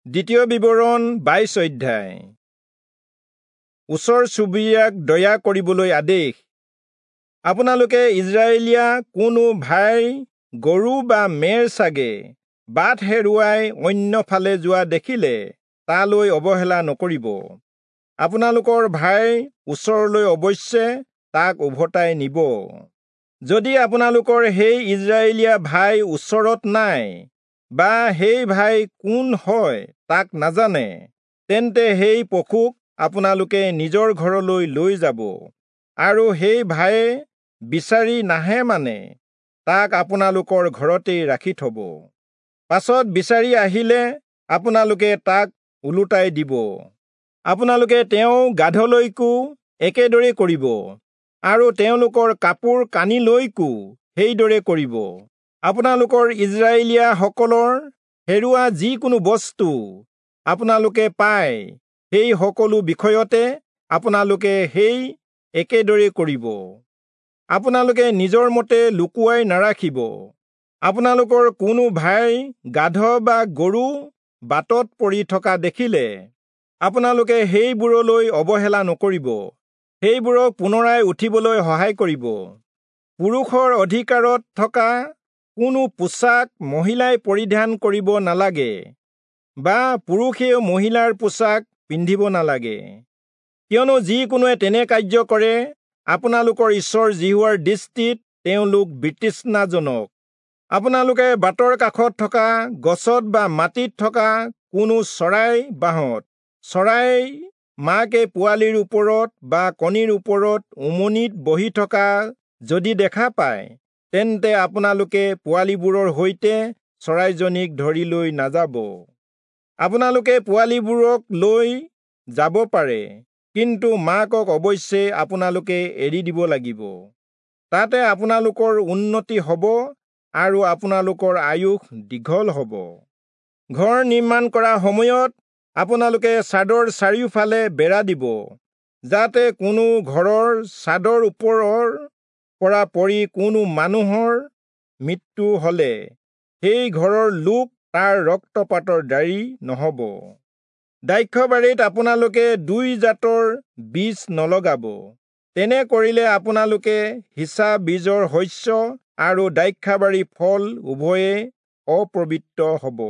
দ্বিতীয় বিৱৰণ 22 অধ্যায়। ওচৰ চুবুৰীয়াক দয়া কৰিবলৈ আদেশ। আপোনালোকে ইজৰাইলীয়া কোনো ভাইৰ গৰু বা মেৰ ছাগে বাট হেৰুৱাই অন্য ফালে যোৱা দেখিলে তালৈ অৱহেলা নকৰিব। আপোনালোকৰ ভাইৰ ওচৰলৈ অৱশ্যে তাক উভতাই নিব। যদি আপোনালোকৰ সেই ইজৰাইলীয়া ভাই ওচৰত নাই বা সেই ভাই কোন হয় তাক নাজানে, তেন্তে সেই পশুক আপোনালোকে নিজৰ ঘৰলৈ লৈ যাব আৰু সেই ভায়ে বিচাৰি নাহে মানে তাক আপোনালোকৰ ঘৰতেই ৰাখি থব। পাছত বিচাৰি আহিলে আপোনালোকে তাক ওলোটাই দিব। আপোনালোকে তেওঁ গাধলৈকো একেদৰে কৰিব আৰু তেওঁলোকৰ কাপোৰ কানিলৈকো সেইদৰে কৰিব। আপোনালোকৰ ইজৰাইলীয়াসকলৰ হেৰুৱা যিকোনো বস্তু আপোনালোকে পায়, সেই সকলো বিষয়তে আপোনালোকে সেই একেদৰে কৰিব। আপোনালোকে নিজৰ মতে লুকুৱাই নাৰাখিব। আপোনালোকৰ কোনো ভাইৰ গাধ বা গৰু বাটত পৰি থকা দেখিলে আপোনালোকে সেইবোৰলৈ অৱহেলা নকৰিব, সেইবোৰক পুনৰাই উঠিবলৈ সহায় কৰিব। পুৰুষৰ অধিকাৰত থকা কোনো পোছাক মহিলাই পৰিধান কৰিব নালাগে বা পুৰুষেও মহিলাৰ পোছাক পিন্ধিব নালাগে, কিয়নো যিকোনোৱে তেনে কাৰ্য কৰে আপোনালোকৰ ঈশ্বৰ যিহোৱাৰ দৃষ্টিত তেওঁলোক বিতৃষ্ণাজনক। আপোনালোকে বাটৰ কাষত থকা গছত বা মাটিত থকা কোনো চৰাই বাঁহত চৰাই মাকে পোৱালিৰ ওপৰত বা কণীৰ ওপৰত উমনিত বহি থকা যদি দেখা পায়, তেন্তে আপোনালোকে পোৱালিবোৰৰ সৈতে চৰাইজনীক ধৰি লৈ নাযাব। আপোনালোকে পোৱালিবোৰক লৈ যাব পাৰে, কিন্তু মাকক অৱশ্যে আপোনালোকে এৰি দিব লাগিব। তাতে আপোনালোকৰ উন্নতি হ'ব আৰু আপোনালোকৰ আয়ুস দীঘল হ'ব। ঘৰ নিৰ্মাণ কৰা সময়ত আপোনালোকে চাদৰ চাৰিওফালে বেৰা দিব, যাতে কোনো ঘৰৰ চাদৰ ওপৰৰ পৰা পৰি কোনো মানুহৰ মৃত্যু হলে সেই ঘৰৰ লোক তাৰ ৰক্তপাতৰ দায়ী নহ'ব। দ্ৰাক্ষাবাৰীত আপোনালোকে দুই জাতৰ বীজ নলগাব, তেনে কৰিলে আপোনালোকে সিঁচা বীজৰ শস্য আৰু দ্ৰাক্ষাবাৰীৰ ফল উভয়ে অপবিত্ৰ হ'ব।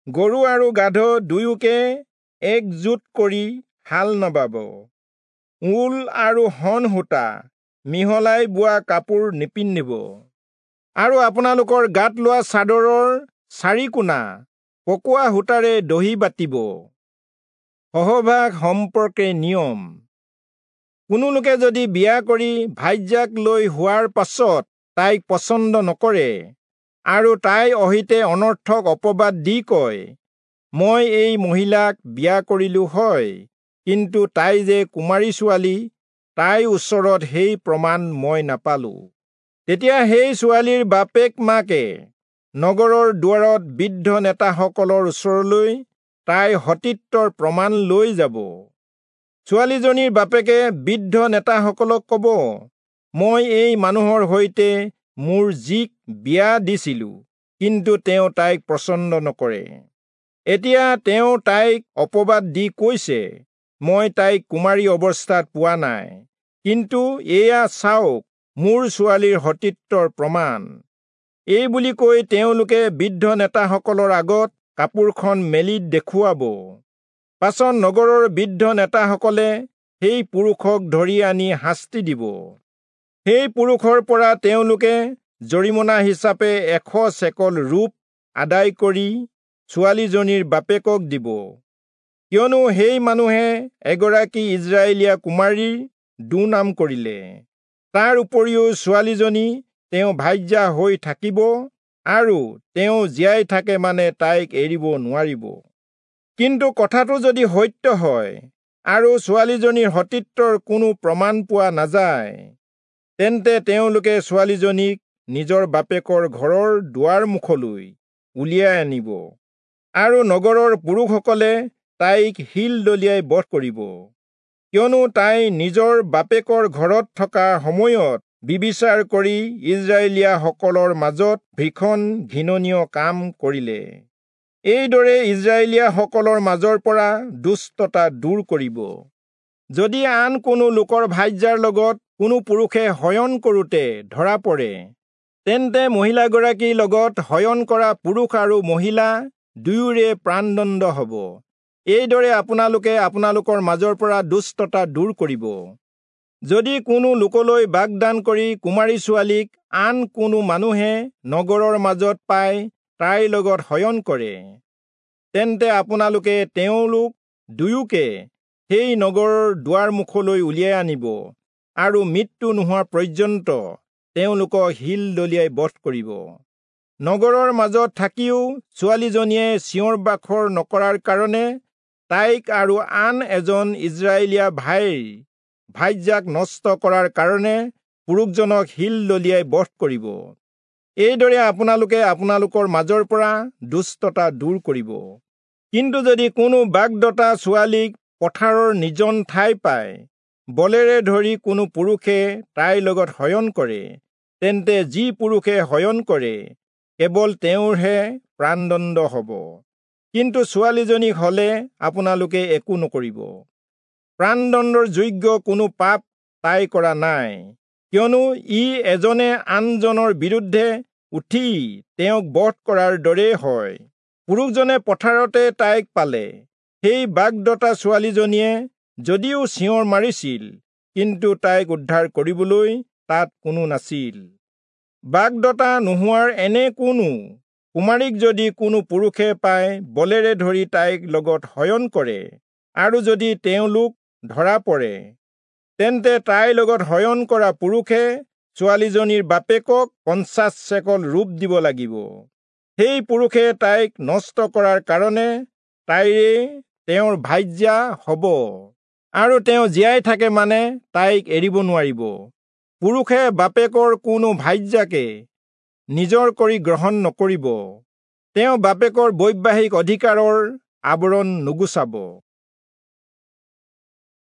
গৰু আৰু গাধ দুয়োকে একজোট কৰি হাল নাবাব। ঊল আৰু শণ সূতা মিহলাই বোৱা কাপোৰ নিপিন্ধিব। আৰু আপোনালোকৰ গাত লোৱা চাদৰৰ চাৰিকোণা পকোৱা সূতাৰে দহি বাতিব। সহবাস সম্পৰ্কে নিয়ম। কোনো লোকে যদি বিয়া কৰি ভাৰ্যাক লৈ হোৱাৰ পাছত তাইক পচন্দ নকৰে আৰু তাই অহিতে অনৰ্থক অপবাদ দি কয়, মই এই মহিলাক বিয়া কৰিলো হয়, কিন্তু তাই যে কুমাৰী ছোৱালী, তাইৰ ওচৰত সেই প্ৰমাণ মই নাপালো, তেতিয়া সেই ছোৱালীৰ বাপেক মাকে নগৰৰ দুৱাৰত বৃদ্ধ নেতাসকলৰ ওচৰলৈ তাইৰ সতীত্বৰ প্ৰমাণ লৈ যাব। ছোৱালীজনীৰ বাপেকে বৃদ্ধ নেতাসকলক ক'ব, মই এই মানুহৰ সৈতে মোৰ জীক বিয়া দিছিলো, কিন্তু তেওঁ তাইক পচন্দ নকৰে। এতিয়া তেওঁ তাইক অপবাদ দি কৈছে, মই তাইক কুমাৰী অৱস্থাত পোৱা নাই, কিন্তু এয়া চাওক মোৰ ছোৱালীৰ সতীত্বৰ প্ৰমাণ। এই বুলি কৈ তেওঁলোকে বৃদ্ধ নেতাসকলৰ আগত কাপোৰখন মেলি দেখুৱাব। পাছত নগৰৰ বৃদ্ধ নেতাসকলে সেই পুৰুষক ধৰি আনি শাস্তি দিব। সেই পুৰুষৰ পৰা তেওঁলোকে জৰিমনা হিচাপে 100 চেকল ৰূপ আদায় কৰি ছোৱালীজনীৰ বাপেকক দিব, কিয়নো সেই মানুহে এগৰাকী ইজৰাইলীয়া কুমাৰীৰ দুৰ্নাম কৰিলে। তাৰ উপৰিও ছোৱালীজনী তেওঁ ভাৰ্যা হৈ থাকিব আৰু তেওঁ জীয়াই থাকে মানে তাইক এৰিব নোৱাৰিব। কিন্তু কথাটো যদি সত্য হয় আৰু ছোৱালীজনীৰ সতীত্বৰ কোনো প্ৰমাণ পোৱা নাযায়, তেন্তে তেওঁলোকে ছোৱালীজনীক নিজৰ বাপেকৰ ঘৰৰ দুৱাৰ মুখলৈ উলিয়াই আনিব আৰু নগৰৰ পুৰুষসকলে তাইক শিল দলিয়াই বধ কৰিব, কিয়নো তাই নিজৰ বাপেকৰ ঘৰত থকা সময়ত বিবিচাৰ কৰি ইজৰাইলীয়াসকলৰ মাজত ভীষণ ঘৃণনীয় কাম কৰিলে। এইদৰে ইজৰাইলীয়াসকলৰ মাজৰ পৰা দুষ্টতা দূৰ কৰিব। যদি আন কোনো লোকৰ ভাৰ্যাৰ লগত কোনো পুৰুষে শয়ন কৰোঁতে ধৰা পৰে, তেন্তে মহিলাগৰাকীৰ লগত শয়ন কৰা পুৰুষ আৰু মহিলা দুয়োৰে প্ৰাণদণ্ড হ'ব। এইদৰে আপোনালোকে আপোনালোকৰ মাজৰ পৰা দুষ্টতা দূৰ কৰিব। যদি কোনো লোকলৈ বাগদান কৰি কুমাৰী ছোৱালীক আন কোনো মানুহে নগৰৰ মাজত পাই তাইৰ লগত শয়ন কৰে, তেন্তে আপোনালোকে তেওঁলোক দুয়োকে সেই নগৰৰ দুৱাৰ মুখলৈ উলিয়াই আনিব আৰু মৃত্যু নোহোৱা পৰ্যন্ত তেওঁলোকক শিল দলিয়াই বধ কৰিব। নগৰৰ মাজত থাকিও ছোৱালীজনীয়ে চিঞৰ বাখৰ নকৰাৰ কাৰণে তাইক আৰু আন এজন ইজৰাইলীয়া ভাইৰ ভাৰ্যাক নষ্ট কৰাৰ কাৰণে পুৰুষজনক শিল দলিয়াই বধ কৰিব। এইদৰে আপোনালোকে আপোনালোকৰ মাজৰ পৰা দুষ্টতা দূৰ কৰিব। কিন্তু যদি কোনো বাগদতা ছোৱালীক পথাৰৰ নিজন ঠাই পায় বলেৰে ধৰি কোনো পুৰুষে তাইৰ লগত শয়ন কৰে, তেন্তে যি পুৰুষে শয়ন কৰে কেৱল তেওঁৰহে প্ৰাণদণ্ড হ'ব। কিন্তু ছোৱালীজনীক হ'লে আপোনালোকে একো নকৰিব। প্ৰাণদণ্ডৰ যোগ্য কোনো পাপ তাই কৰা নাই, কিয়নো ই এজনে আনজনৰ বিৰুদ্ধে উঠি তেওঁক বধ কৰাৰ দৰেই হয়। পুৰুষজনে পথাৰতে তাইক পালে। সেই বাগদতা ছোৱালীজনীয়ে যদিও চিঞৰ মাৰিছিল, কিন্তু তাইক উদ্ধাৰ কৰিবলৈ তাত কোনো নাছিল। বাগদতা নোহোৱাৰ এনে কোনো কুমাৰীক যদি কোনো পুৰুষে পাই বলেৰে ধৰি তাইক লগত শয়ন কৰে, আৰু যদি তেওঁলোক ধৰা পৰে, তেন্তে তাইৰ লগত শয়ন কৰা পুৰুষে ছোৱালীজনীৰ বাপেকক 50 চেকল ৰূপ দিব লাগিব। সেই পুৰুষে তাইক নষ্ট কৰাৰ কাৰণে তাইৰে তেওঁৰ ভাৰ্যা হ'ব, আৰু তেওঁ জীয়াই থাকে মানে তাইক এৰিব নোৱাৰিব। পুৰুষে বাপেকৰ কোনো ভাৰ্যাকে নিজৰ কৰি গ্ৰহণ নকৰিব, তেওঁ বাপেকৰ বৈবাহিক অধিকাৰৰ আৱৰণ নুগুচাব।